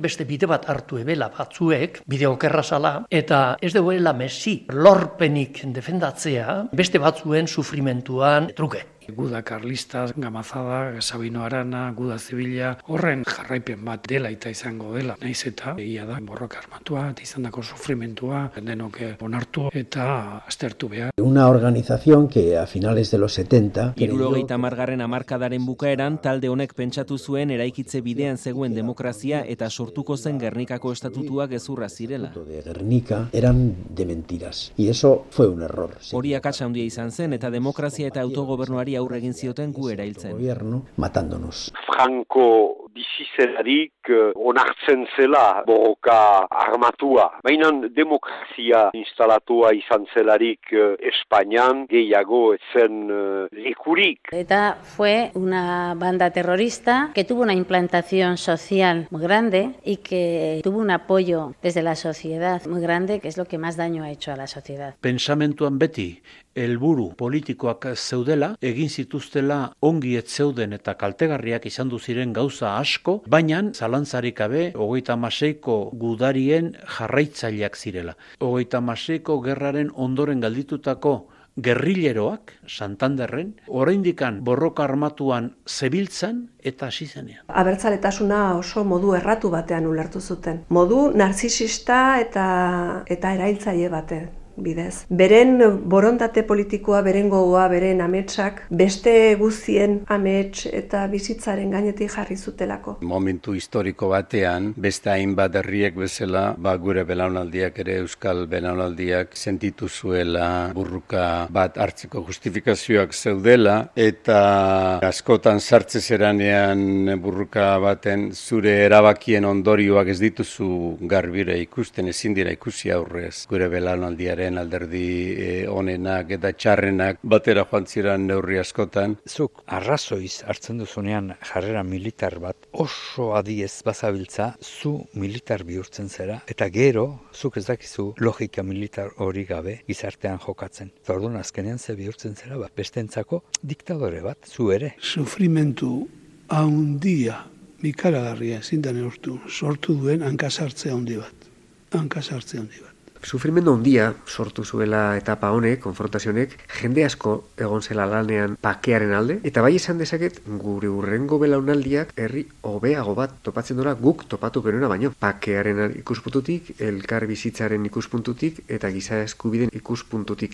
beste bide bat hartu ebela batzuek, bide okerra zala, eta ez duela Messi lorpenik defendatzea beste batzuen sufrimentuan truke. Guda Karlista, Gamazada, Sabino Arana, Guda Zibila, horren jarraipen bat dela eta izango dela. Naiz eta egia da borroka armatua, izandako sufrimentua, denok onartu eta aztertu behar. Una organización que a finales de los 70... 70. hamarkadaren bukaeran, talde honek pentsatu zuen eraikitze bidean zegoen demokrazia eta sortuko zen Gernikako estatutua gezurra zirela. De Gernika eran de mentiras. Y eso fue un error. Hori akatsa handia izan zen eta demokrazia eta autogobernuari aurre egin zioten gu erailtzen. Gobierno matándonos. Franco bizizelarik onartzen zela borroka armatua. Baina demokrazia instalatua izan zelarik Espainian gehiago etzen lekurik. ETA fue una banda terrorista que tuvo una implantación social muy grande y que tuvo un apoyo desde la sociedad muy grande, que es lo que más daño ha hecho a la sociedad. Pensamentuan beti helburu politikoak zeudela, egin zituztela ongi ez zeuden eta kaltegarriak izan du ziren gauza asko, baina zalantzarik gabe 36ko gudarien jarraitzaileak zirela. 36ko gerraren ondoren galditutako gerrilleroak, Santanderren, oraindikan borroka armatuan zebiltzan eta hasi zenean. Abertzaletasuna oso modu erratu batean ulertu zuten. Modu narzisista eta erailtzaile batean. Bidez. Beren borondate politikoa, beren gogoa, beren ametsak, beste guztien amets eta bizitzaren gainetik jarri zutelako. Momentu historiko batean, beste hainbat herriek bezala, gure belaunaldiak ere euskal belaunaldiak sentitu zuela burruka bat hartzeko justifikazioak zeudela, eta askotan sartze zeranean burruka baten zure erabakien ondorioak ez dituzu garbire ikusten, ezin dira ikusi aurrez gure belaunaldiaren alderdi onenak eta txarrenak batera joan ziren neurri askotan. Zuk arrazoiz hartzen duzunean jarrera militar bat oso adiez bazabiltza, zu militar bihurtzen zera, eta gero zuk ez dakizu logika militar hori gabe gizartean jokatzen. Orduan azkenean ze bihurtzen zera bat, bestentzako diktadore bat, zu ere. Sufrimentu handia, ikaragarria ezin da neurtu, sortu duen hankasartze handi bat. Sufrimendu handia sortu zuela etapa honek, konfrontazionek, jende asko egon zela lanean bakearen alde, eta bai esan dezaket gure hurrengo belaunaldiak herri hobeago bat topatzen dola guk topatu genuena baino. Bakearen ikuspuntutik, elkar bizitzaren ikuspuntutik eta giza eskubideen ikuspuntutik.